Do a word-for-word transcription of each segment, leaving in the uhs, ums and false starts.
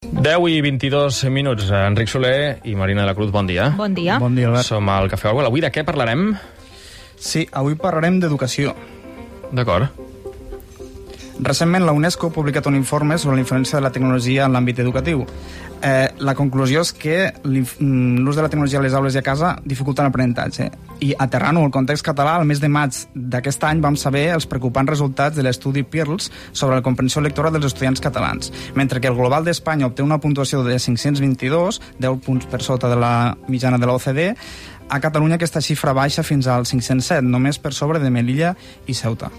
deu i vint-i-dos minuts. Enric Soler i Marina de la Cruz, bon dia. Bon dia. Bon dia, Albert. Som al Cafè Orwell. Avui de què parlarem? Sí, avui parlarem d'educació. D'acord. Recentment, la UNESCO ha publicat un informe sobre la influència de la tecnologia en l'àmbit educatiu. Eh, la conclusió és que l'ús de la tecnologia a les aules i a casa dificulta l'aprenentatge. I aterrant-ho al context català, al mes de maig d'aquest any vam saber els preocupants resultats de l'estudi Pearls sobre la comprensió lectora dels estudiants catalans. Mentre que el global d'Espanya obté una puntuació de cinc-cents vint-i-dos, deu punts per sota de la mitjana de l'O C D, a Catalunya aquesta xifra baixa fins al cinc-cents set, només per sobre de Melilla i Ceuta.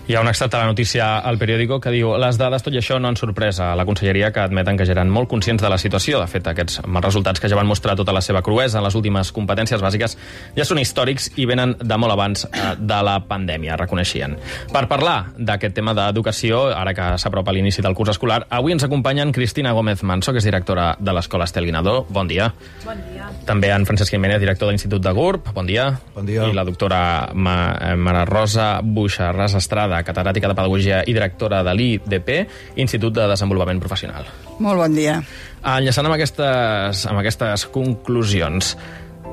Hi ha un extret a la notícia al periòdico que diu: les dades, tot i això, no han sorprès a la conselleria, que admeten que ja eren molt conscients de la situació. De fet, aquests mals resultats, que ja van mostrar tota la seva cruesa en les últimes competències bàsiques, ja són històrics i venen de molt abans eh, de la pandèmia, reconeixien. Per parlar d'aquest tema d'educació, ara que s'apropa l'inici del curs escolar, avui ens acompanyen Cristina Gómez Manso, que és directora de l'Escola Estel Guinardó. Bon dia. Bon dia. També en Francesc Jiménez, director de l'Institut de GURB. Bon dia. Bon dia. I la doctora Ma Mara Rosa Buixarràs Estrada, catedràtica de Pedagogia i directora de l'I D P, Institut de Desenvolupament Professional. Molt bon dia. Enllaçant amb aquestes, amb aquestes conclusions,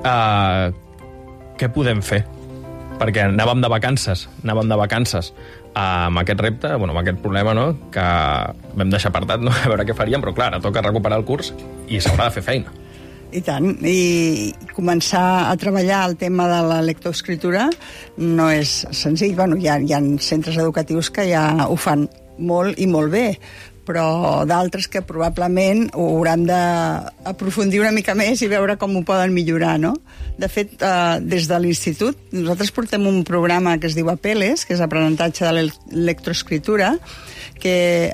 eh, què podem fer? Perquè anàvem de vacances, anàvem de vacances amb aquest repte, bueno, amb aquest problema, no?, que vam deixar apartat, no?, a veure què faríem, però clar, toca recuperar el curs i s'haurà de fer feina. I tant, i començar a treballar el tema de la lectoescriptura no és senzill. Bueno, hi ha, hi ha centres educatius que ja ho fan molt i molt bé, però d'altres que probablement ho hauran d'aprofundir una mica més i veure com ho poden millorar, no? De fet, eh, des de l'Institut, nosaltres portem un programa que es diu APELES, que és aprenentatge de la lectoescriptura, que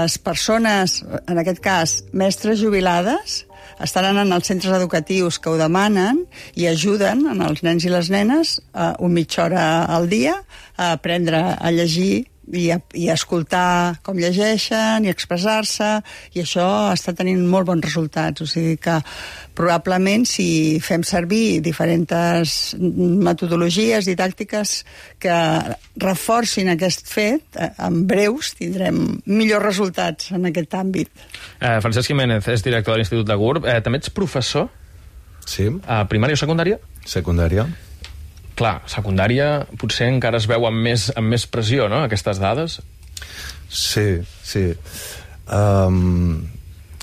les persones, en aquest cas, mestres jubilades, estan anant als centres educatius que ho demanen i ajuden als nens i les nenes eh, una mitja hora al dia a aprendre a llegir i a, i a escoltar com llegeixen i expressar-se, i això està tenint molt bons resultats. O sigui que probablement si fem servir diferents metodologies didàctiques que reforcin aquest fet, en breus tindrem millors resultats en aquest àmbit. Eh, Francesc Jiménez és director de l'Institut de GURB. Eh, també ets professor? Sí. A primària o secundària? Secundària. Clar, secundària potser encara es veu amb més, amb més pressió, no?, aquestes dades. Sí, sí. Um,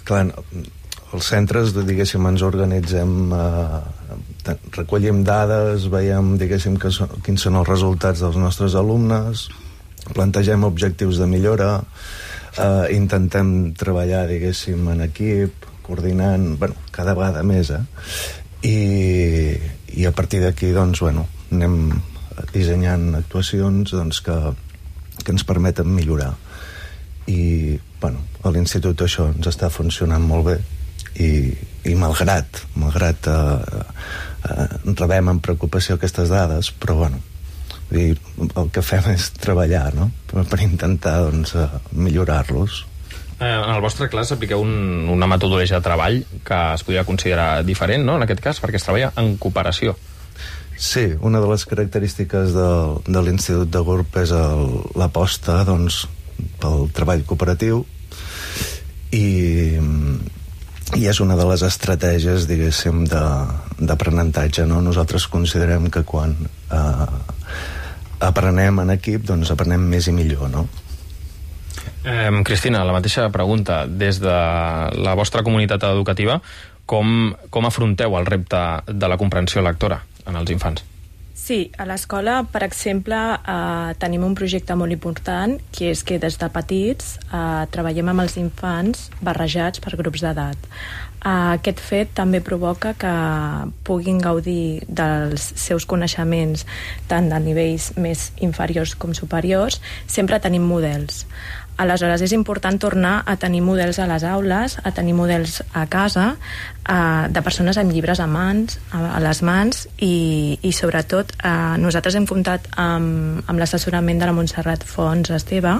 clar, els centres, diguéssim, ens organitzem, uh, recollim dades, veiem, diguéssim, que són, quins són els resultats dels nostres alumnes, plantegem objectius de millora, uh, intentem treballar, diguéssim, en equip, coordinant, bueno, cada vegada més, eh? I, i a partir d'aquí, doncs, bueno, anem dissenyant actuacions, doncs, que, que ens permeten millorar. I, bueno, a l'Institut això ens està funcionant molt bé i, i malgrat, malgrat eh, eh, rebem amb preocupació aquestes dades, però, bueno, dir, el que fem és treballar, no?, per, per intentar, doncs, eh, millorar-los. En el vostre clar s'apliqueu un, una metodologia de treball que es podria considerar diferent, no?, en aquest cas, perquè es treballa en cooperació. Sí, una de les característiques de, de l'Institut de GURB és l'aposta, doncs, pel treball cooperatiu i, i és una de les estratègies, diguéssim, d'aprenentatge, no? Nosaltres considerem que quan eh, aprenem en equip, doncs aprenem més i millor, no? Eh, Cristina, la mateixa pregunta. Des de la vostra comunitat educativa, com, com afronteu el repte de la comprensió lectora en els infants? Sí, a l'escola, per exemple, eh, tenim un projecte molt important, que és que des de petits eh, treballem amb els infants barrejats per grups d'edat. Eh, aquest fet també provoca que puguin gaudir dels seus coneixements tant de nivells més inferiors com superiors. Sempre tenim models. Aleshores, és important tornar a tenir models a les aules, a tenir models a casa, eh, de persones amb llibres a mans, a, a les mans, i, i sobretot eh, nosaltres hem comptat amb, amb l'assessorament de la Montserrat Fons Esteve,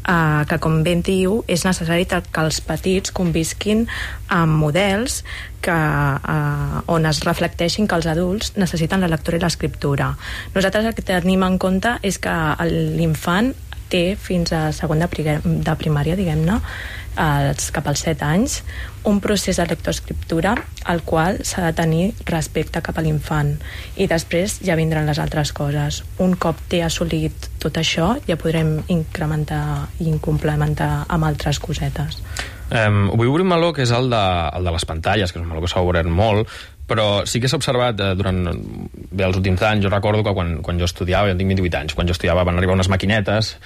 eh, que, com ben diu, és necessari que els petits convisquin amb models que, eh, on es reflecteixin que els adults necessiten la lectura i l'escriptura. Nosaltres el que tenim en compte és que l'infant té fins a segon de primària, diguem-ne, als, cap als set anys, un procés de lectoescriptura al qual s'ha de tenir respecte cap a l'infant, i després ja vindran les altres coses. Un cop té assolit tot això, ja podrem incrementar i complementar amb altres cosetes. Um, vull obrir un meló que és el de, el de les pantalles, que és un meló que s'ha obert molt, però sí que s'ha observat eh, durant bé, els últims anys. Jo recordo que quan, quan jo estudiava, jo tinc vint-i-vuit anys, quan jo estudiava van arribar unes maquinetes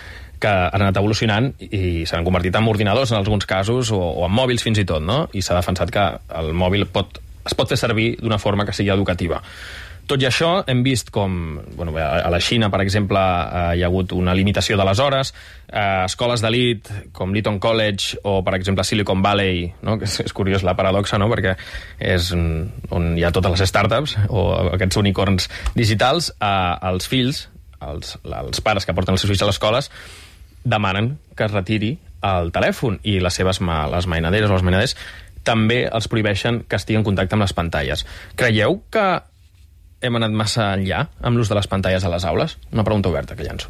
que han anat evolucionant i s'han convertit en ordinadors en alguns casos, o, o en mòbils fins i tot, no? I s'ha defensat que el mòbil pot, es pot fer servir d'una forma que sigui educativa. Tot i això, hem vist com bueno, a la Xina, per exemple, eh, hi ha hagut una limitació de les hores, eh, escoles d'elit com l'Eton College o, per exemple, Silicon Valley, no? Que és, és curiós la paradoxa, no? Perquè és on hi ha totes les startups o aquests unicorns digitals, eh, els fills, els, els pares que porten els seus fills a les escoles, demanen que es retiri el telèfon, i les seves ma, les mainaderes o els mainaders també els prohibeixen que estigui en contacte amb les pantalles. Creieu que hem anat massa enllà amb l'ús de les pantalles a les aules? Una pregunta oberta que llanço.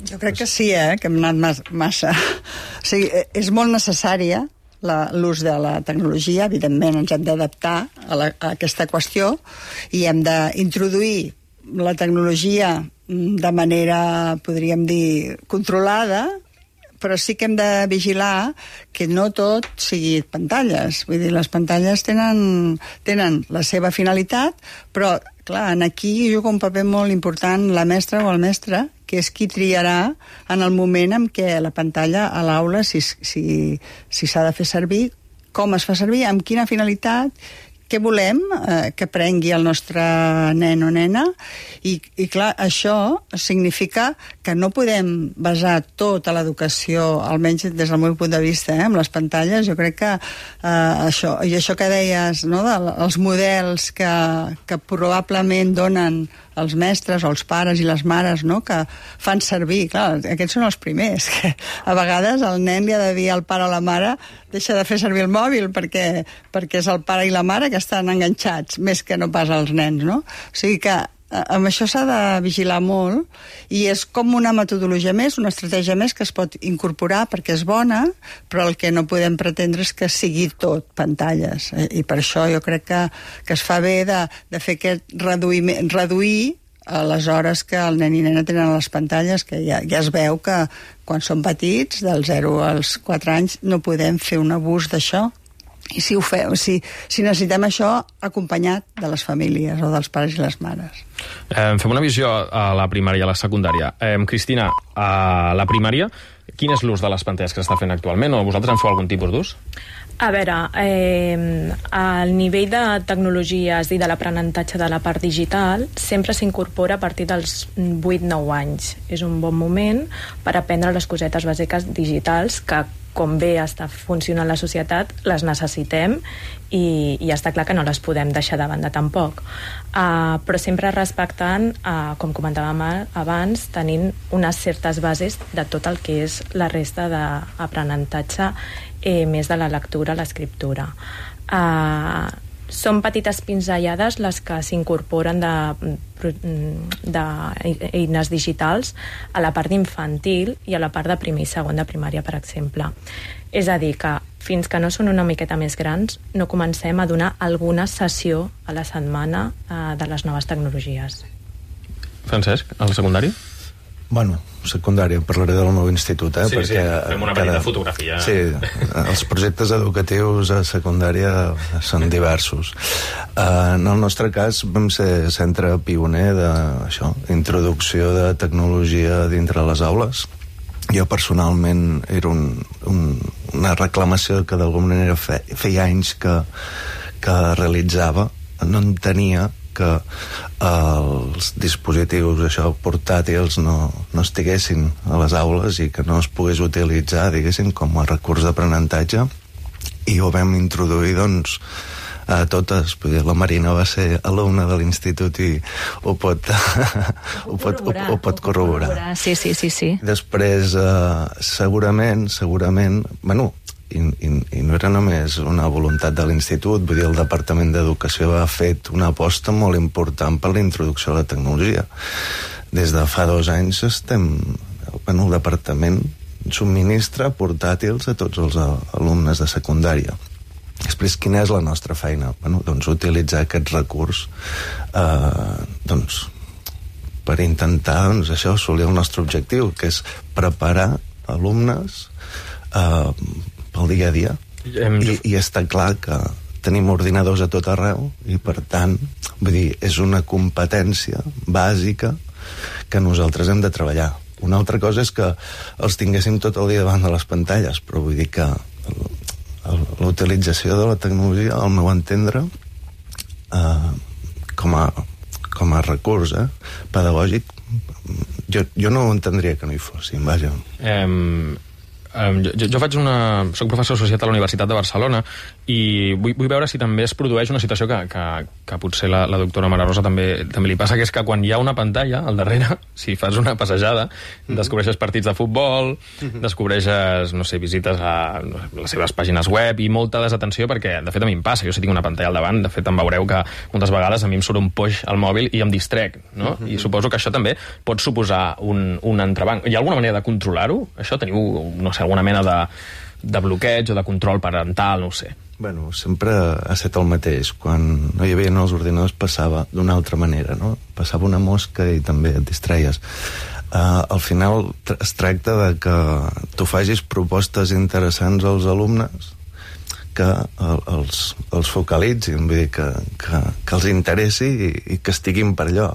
Jo crec que sí, eh, que hem anat massa. O sigui, és molt necessària l'ús de la tecnologia. Evidentment ens hem d'adaptar a, la, a aquesta qüestió i hem d'introduir la tecnologia de manera, podríem dir, controlada, però sí que hem de vigilar que no tot sigui pantalles. Vull dir, les pantalles tenen, tenen la seva finalitat, però, clar, aquí juga un paper molt important la mestra o el mestre, que és qui triarà en el moment en què la pantalla a l'aula, si si, si s'ha de fer servir, com es fa servir, amb quina finalitat, què volem eh, que prengui el nostre nen o nena, i, i clar, això significa que no podem basar tota l'educació, almenys des del meu punt de vista, eh, amb les pantalles. Jo crec que eh, això, i això que deies, no, dels models que, que probablement donen els mestres o els pares i les mares, no, que fan servir, clar, aquests són els primers, que a vegades el nen li ha de dir al pare o la mare deixa de fer servir el mòbil perquè, perquè és el pare i la mare que estan enganxats, més que no pas els nens, no? O sigui que amb això s'ha de vigilar molt, i és com una metodologia més, una estratègia més que es pot incorporar perquè és bona, però el que no podem pretendre és que sigui tot pantalles, i per això jo crec que, que es fa bé de, de fer aquest reduïment, reduir a les hores que el nen i nena tenen a les pantalles, que ja, ja es veu que quan són petits, del zero als quatre anys, no podem fer un abús d'això. I si ho fem, si, si necessitem això acompanyat de les famílies o dels pares i les mares. Eh, fem una visió a la primària i a la secundària. Eh, Cristina, a la primària, quin és l'ús de les pantalles que s'està fent actualment, o vosaltres en feu algun tipus d'ús? A veure, eh, el nivell de tecnologies i de l'aprenentatge de la part digital sempre s'incorpora a partir dels vuit nou anys. És un bon moment per aprendre les cosetes bàsiques digitals que, com bé està funcionant la societat, les necessitem, i, i està clar que no les podem deixar de banda tampoc. Uh, però sempre respectant, uh, com comentàvem abans, tenint unes certes bases de tot el que és la resta d'aprenentatge, eh, més de la lectura, l'escriptura. Uh, són petites pinzellades les que s'incorporen de, de eines digitals a la part infantil i a la part de primer i segon de primària, per exemple. És a dir, que fins que no són una miqueta més grans no comencem a donar alguna sessió a la setmana eh, de les noves tecnologies. Francesc, a la secundària? Bueno, secundària, parlaré del meu institut, eh? Sí, perquè sí, fem una petita cada... fotografia. Sí, els projectes educatius a secundària són diversos. Uh, en el nostre cas vam ser centre pioner d'això, introducció de tecnologia dintre les aules. Jo personalment era un, un, una reclamació que d'alguna manera fe, feia anys que, que realitzava. No entenia que els dispositius això, portàtils no, no estiguessin a les aules i que no es pogués utilitzar, diguéssim, com a recurs d'aprenentatge, i ho vam introduir, doncs, a totes. La Marina va ser alumna de l'institut i ho pot ho pot, ho, ho pot corroborar. Sí, sí, sí, sí. Després, eh, segurament, segurament, bueno, I, i, i no era només una voluntat de l'institut, vull dir, el Departament d'Educació ha fet una aposta molt important per la introducció de la tecnologia. Des de fa dos anys estem, bueno, el Departament subministra portàtils a tots els alumnes de secundària. Després, quina és la nostra feina? Bueno, doncs utilitzar aquest recurs eh, doncs, per intentar doncs, això, assolir el nostre objectiu, que és preparar alumnes eh, pel dia a dia. I, I està clar que tenim ordinadors a tot arreu i, per tant, vull dir, és una competència bàsica que nosaltres hem de treballar. Una altra cosa és que els tinguéssim tot el dia davant de les pantalles, però vull dir que l'utilització de la tecnologia, al meu entendre, eh, com, a, com a recurs eh, pedagògic, jo, jo no ho entendria que no hi fossin, vaja. Um, um, jo, jo faig una... soc professor associat a la Universitat de Barcelona i vull, vull veure si també es produeix una situació que, que, que potser la, la doctora Mara Rosa també, també li passa, que és que quan hi ha una pantalla al darrere, si fas una passejada, mm-hmm. descobreixes partits de futbol, mm-hmm. descobreixes, no sé, visites a no sé, les seves pàgines web i molta desatenció, perquè de fet a mi em passa, jo si tinc una pantalla al davant, de fet em veureu que moltes vegades a mi em surt un poix al mòbil i em distrec, no? Mm-hmm. I suposo que això també pot suposar un, un entrebanc. Hi ha alguna manera de controlar-ho? Això teniu, no sé, alguna mena de, de bloqueig o de control parental, no ho sé. Bueno, sempre ha estat el mateix. Quan no hi havia els ordinadors passava d'una altra manera, no? Passava una mosca i també et distreies. Uh, al final es tracta de que tu facis propostes interessants als alumnes que el, els, els focalitzin, vull dir, que, que, que els interessi i, i que estiguin per allò.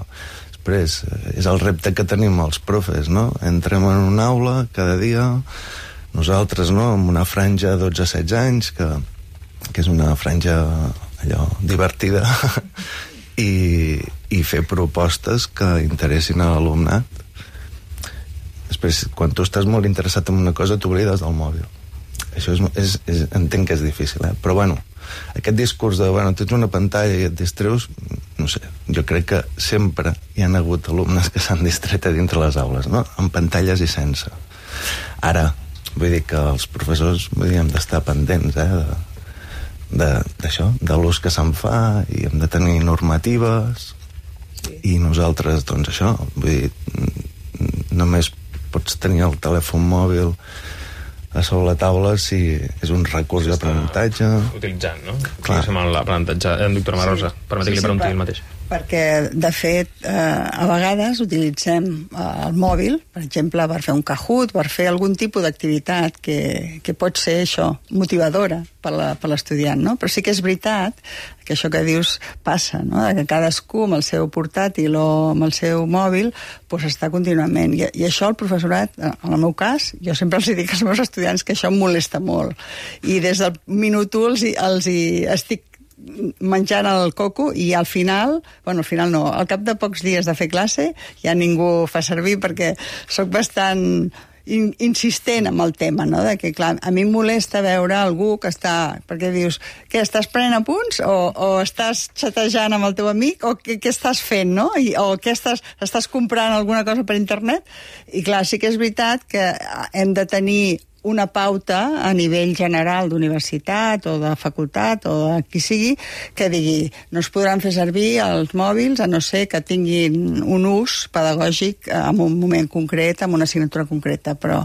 Després, és el repte que tenim els profes, no? Entrem en una aula cada dia, nosaltres, no?, amb una franja de dotze a setze anys, que que és una franja allò divertida i, i fer propostes que interessin a l'alumnat. Després, quan tu estàs molt interessat en una cosa, t'oblides del mòbil. Això és, és, és, entenc que és difícil, eh? Però bueno, aquest discurs de, bueno, tens una pantalla i et distreus, no sé, jo crec que sempre hi han hagut alumnes que s'han distret a dintre les aules, no? Amb pantalles i sense. Ara, vull dir que els professors, vull dir, hem d'estar pendents, eh, de d'això, de, de l'ús que se'n fa, i hem de tenir normatives, sí. I nosaltres, doncs això, vull dir, només pots tenir el telèfon mòbil a sobre la taula si és un recurs d'aprenentatge. Utilitzant, no? Clar. L'aprenentatge. Eh, doctora Marosa, sí. Permeti que li pregunti el mateix. Perquè, de fet, eh, a vegades utilitzem eh, el mòbil, per exemple, per fer un Kahoot, per fer algun tipus d'activitat que, que pot ser això, motivadora per l'estudiant, no? Però sí que és veritat que això que dius passa, no? Que cadascú amb el seu portàtil o amb el seu mòbil pues, està contínuament. I, I això el professorat, en el meu cas, jo sempre els dic als meus estudiants que això em molesta molt. I des del minut u els, els hi estic menjant el coco i al final, bueno, al final no, al cap de pocs dies de fer classe ja ningú fa servir perquè sóc bastant in, insistent amb el tema, no? De que, clar, a mi em molesta veure algú que està, perquè dius, què, estàs prenent apunts o, o estàs xatejant amb el teu amic o què, què estàs fent, no? I, o què estàs, estàs comprant alguna cosa per internet? I clar, sí que és veritat que hem de tenir una pauta a nivell general d'universitat o de facultat o de qui sigui, que digui no es podran fer servir els mòbils a no ser que tinguin un ús pedagògic en un moment concret, en una assignatura concreta, però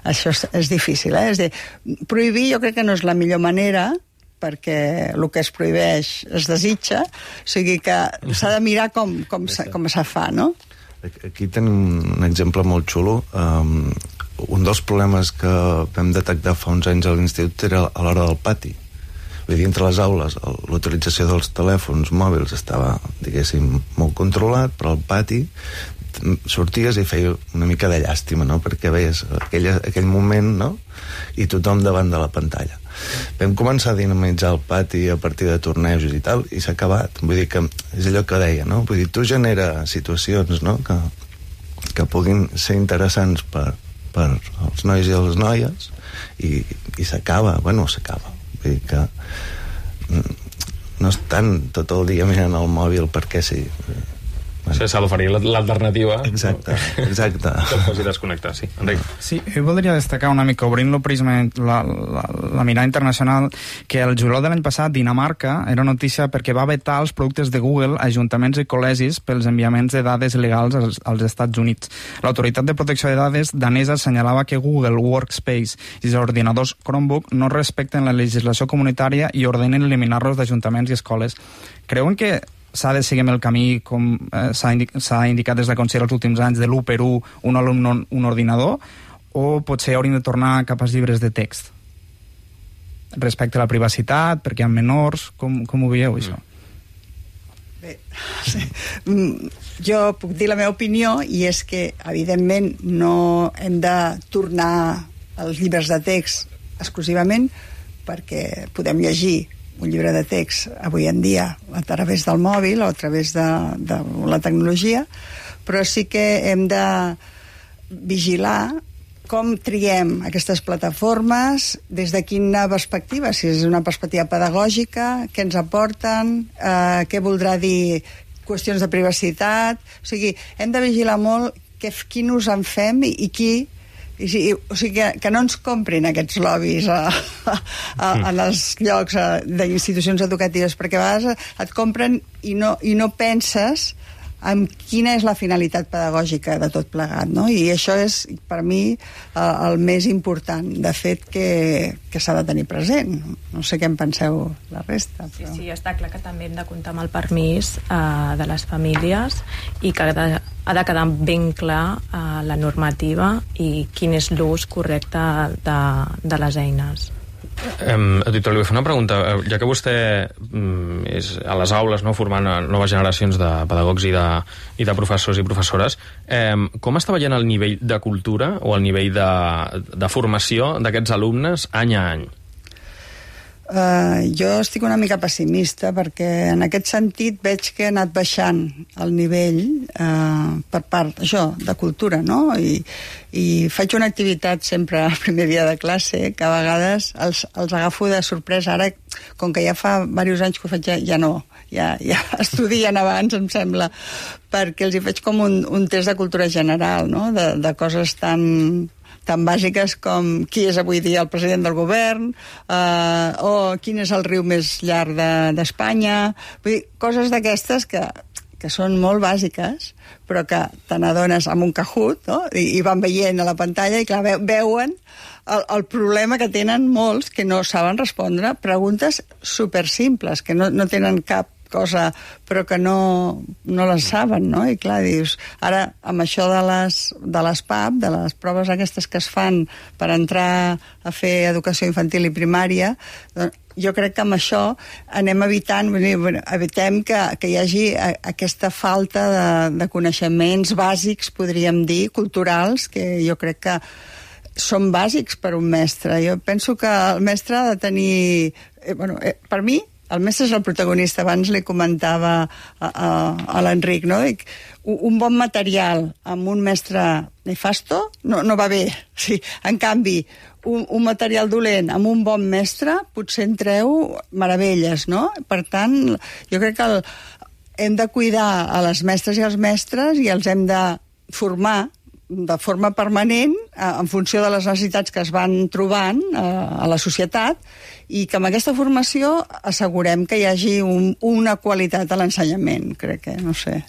això és, és difícil, eh? És a dir, prohibir jo crec que no és la millor manera, perquè el que es prohibeix es desitja, o sigui que s'ha de mirar com, com, se, com se fa, no? Aquí tenim un exemple molt xulo. Um, un dels problemes que vam detectar fa uns anys a l'institut era a l'hora del pati. Vull dir, entre les aules l'utilització dels telèfons mòbils estava, diguéssim, molt controlat, però al pati sorties i feia una mica de llàstima, no?, perquè veies aquell, aquell moment, no?, i tothom davant de la pantalla. Vam començar a dinamitzar el pati a partir de tornejos i tal, i s'ha acabat. Vull dir que és allò que deia, no?, vull dir, tu genera situacions, no?, que, que puguin ser interessants per, per als nois i les noies, i, i s'acaba, bueno, s'acaba. Vull dir que no estan tot el dia mirant el mòbil perquè sí. Bueno. S'ha d'oferir l'alternativa. Exacte, exacte. Que el faci desconnectar, sí. Enric. Sí, jo voldria destacar una mica, obrint-lo prisma la, la, la mirada internacional, que el juliol de l'any passat Dinamarca era notícia perquè va vetar els productes de Google a ajuntaments i col·legis pels enviaments de dades il·legals als, als Estats Units. L'Autoritat de Protecció de Dades danesa assenyalava que Google Workspace i els ordinadors Chromebook no respecten la legislació comunitària i ordenen eliminar-los d'ajuntaments i escoles. Creuen que s'ha de seguir el camí, com eh, s'ha indic indicat des de Consell els últims anys, de l'u per u, un alumne, un ordinador, o potser hauríem de tornar cap als llibres de text? Respecte a la privacitat, perquè hi ha menors, com, com ho veieu, això? Bé, sí. Jo puc dir la meva opinió, i és que, evidentment, no hem de tornar als llibres de text exclusivament, perquè podem llegir un llibre de text avui en dia a través del mòbil o a través de, de la tecnologia, però sí que hem de vigilar com triem aquestes plataformes, des de quina perspectiva, si és una perspectiva pedagògica, què ens aporten, eh, què voldrà dir qüestions de privacitat. O sigui, hem de vigilar molt que, quin ús en fem i, i qui. I, i, o sigui, que, que no ens comprin aquests lobbies a, a, a, en els llocs d'institucions educatives, perquè a vegades et compren i no, i no penses en quina és la finalitat pedagògica de tot plegat, no? I això és, per mi, el, el més important, de fet, que, que s'ha de tenir present. No sé què en penseu la resta. Però... Sí, sí, està clar que també hem de comptar amb el permís eh, de les famílies i que ha de, ha de quedar ben clar eh, la normativa i quin és l'ús correcte de, de les eines. Um, Editor, li vull fer una pregunta. Ja que vostè um, és a les aules, no, formant noves generacions de pedagogs i de, i de professors i professores, um, com està veient el nivell de cultura o el nivell de, de formació d'aquests alumnes any a any? Uh, jo estic una mica pessimista perquè en aquest sentit veig que ha anat baixant el nivell uh, per part, això, de cultura, no? I, i faig una activitat sempre el primer dia de classe que a vegades els, els agafo de sorpresa. Ara, com que ja fa diversos anys que ho faig, ja, ja no, ja, ja estudien abans, em sembla, perquè els hi faig com un, un test de cultura general, no? De, de coses tan... tan bàsiques com qui és avui dia el president del govern, eh, o quin és el riu més llarg d'Espanya. De, Vull dir, coses d'aquestes que, que són molt bàsiques, però que te n'adones amb un Kahoot, no? I, i van veient a la pantalla i clar, ve, veuen el, el problema que tenen molts que no saben respondre preguntes supersimples, que no, no tenen cap cosa, però que no, no les saben, no? I clar, dius, ara, amb això de les, de les P A P, de les proves aquestes que es fan per entrar a fer educació infantil i primària, doncs, jo crec que amb això anem evitant, bueno, evitem que, que hi hagi aquesta falta de, de coneixements bàsics, podríem dir, culturals, que jo crec que són bàsics per un mestre. Jo penso que el mestre ha de tenir... Eh, bueno, eh, per mi, el mestre és el protagonista. Abans li comentava a, a, a l'Enric, no? Dic, un bon material amb un mestre nefasto no, no va bé. Sí, en canvi, un, un material dolent amb un bon mestre potser en treu meravelles, no? Per tant, jo crec que el, hem de cuidar a les mestres i als mestres i els hem de formar de forma permanent en funció de les necessitats que es van trobant a la societat i que amb aquesta formació assegurem que hi hagi un, una qualitat a l'ensenyament, crec que, no sé.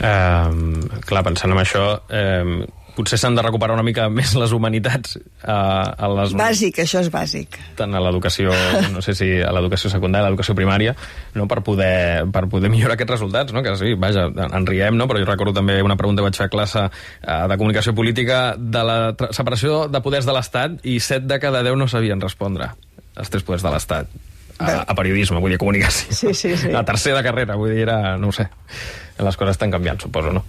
Um, clar, pensant en això, um, potser s'han de recuperar una mica més les humanitats uh, a les... Bàsic, això és bàsic. Tant a l'educació, no sé si a l'educació secundària, a l'educació primària, no, per poder, per poder millorar aquests resultats, no? Que sí, vaja, en riem, no? Però jo recordo també una pregunta que vaig fer a classe uh, de comunicació política de la separació de poders de l'Estat i set de cada deu no sabien respondre els tres poders de l'Estat. A, a periodisme, vull dir, a comunicació. Sí, sí, sí. A tercera carrera, vull dir, era, no ho sé, les coses estan canviant, suposo, no?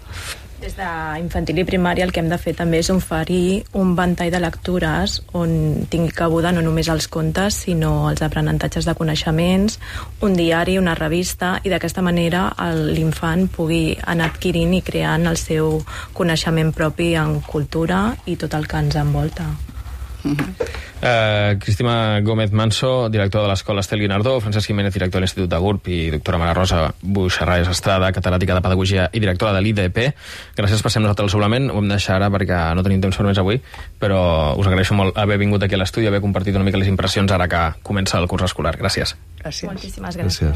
Des d'infantil i primària el que hem de fer també és oferir un ventall de lectures on tingui cabuda no només els contes, sinó els aprenentatges de coneixements, un diari, una revista, i d'aquesta manera l'infant pugui anar adquirint i creant el seu coneixement propi en cultura i tot el que ens envolta. Mm-hmm. Uh, Cristina Gómez Manso, directora de l'Escola Estel Guinardó, Francesc Jiménez, director de l'Institut de G U R P, i doctora Mara Rosa Buixarrayes Estrada, catedràtica de Pedagogia i directora de l'I D P. Gràcies per ser amb nosaltres al suplement. Ho hem de deixar ara perquè no tenim temps per més avui, però us agraeixo molt haver vingut aquí a l'estudi, haver compartit una mica les impressions ara que comença el curs escolar. Gràcies. Gràcies. Moltíssimes gràcies. Gràcies.